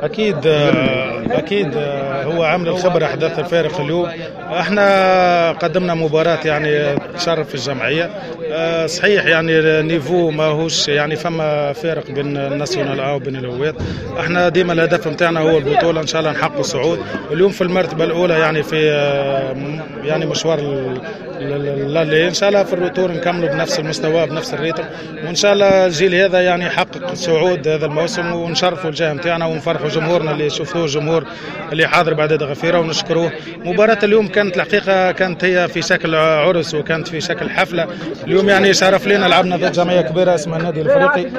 اكيد اكيد هو عامل الخبرة احداث الفارق. اليوم احنا قدمنا مباراة يعني تشرف في الجمعيه. صحيح يعني ال niveau ماهوش يعني فما فارق بين ال nationale A وبين الهوات. احنا ديما الهدف نتاعنا هو البطوله، ان شاء الله نحققوا الصعود. اليوم في المرتبة الاولى يعني في يعني مشوار l'aller، ان شاء الله في ال retour نكملوا بنفس المستوى بنفس ال rythme، وان شاء الله الجيل هذا يعني يحقق صعود هذا الموسم ونشرفوا الجهة نتاعنا ونفرحوا جمهورنا اللي شفتوه، الجمهور اللي حاضر بعدد غفيره ونشكروه. مباراة اليوم كانت الحقيقة كانت هي في شكل عرس وكانت في شكل حفلة. اليوم يعني شرف لنا لعبنا ضد جمعية كبيرة اسمها النادي الافريقي.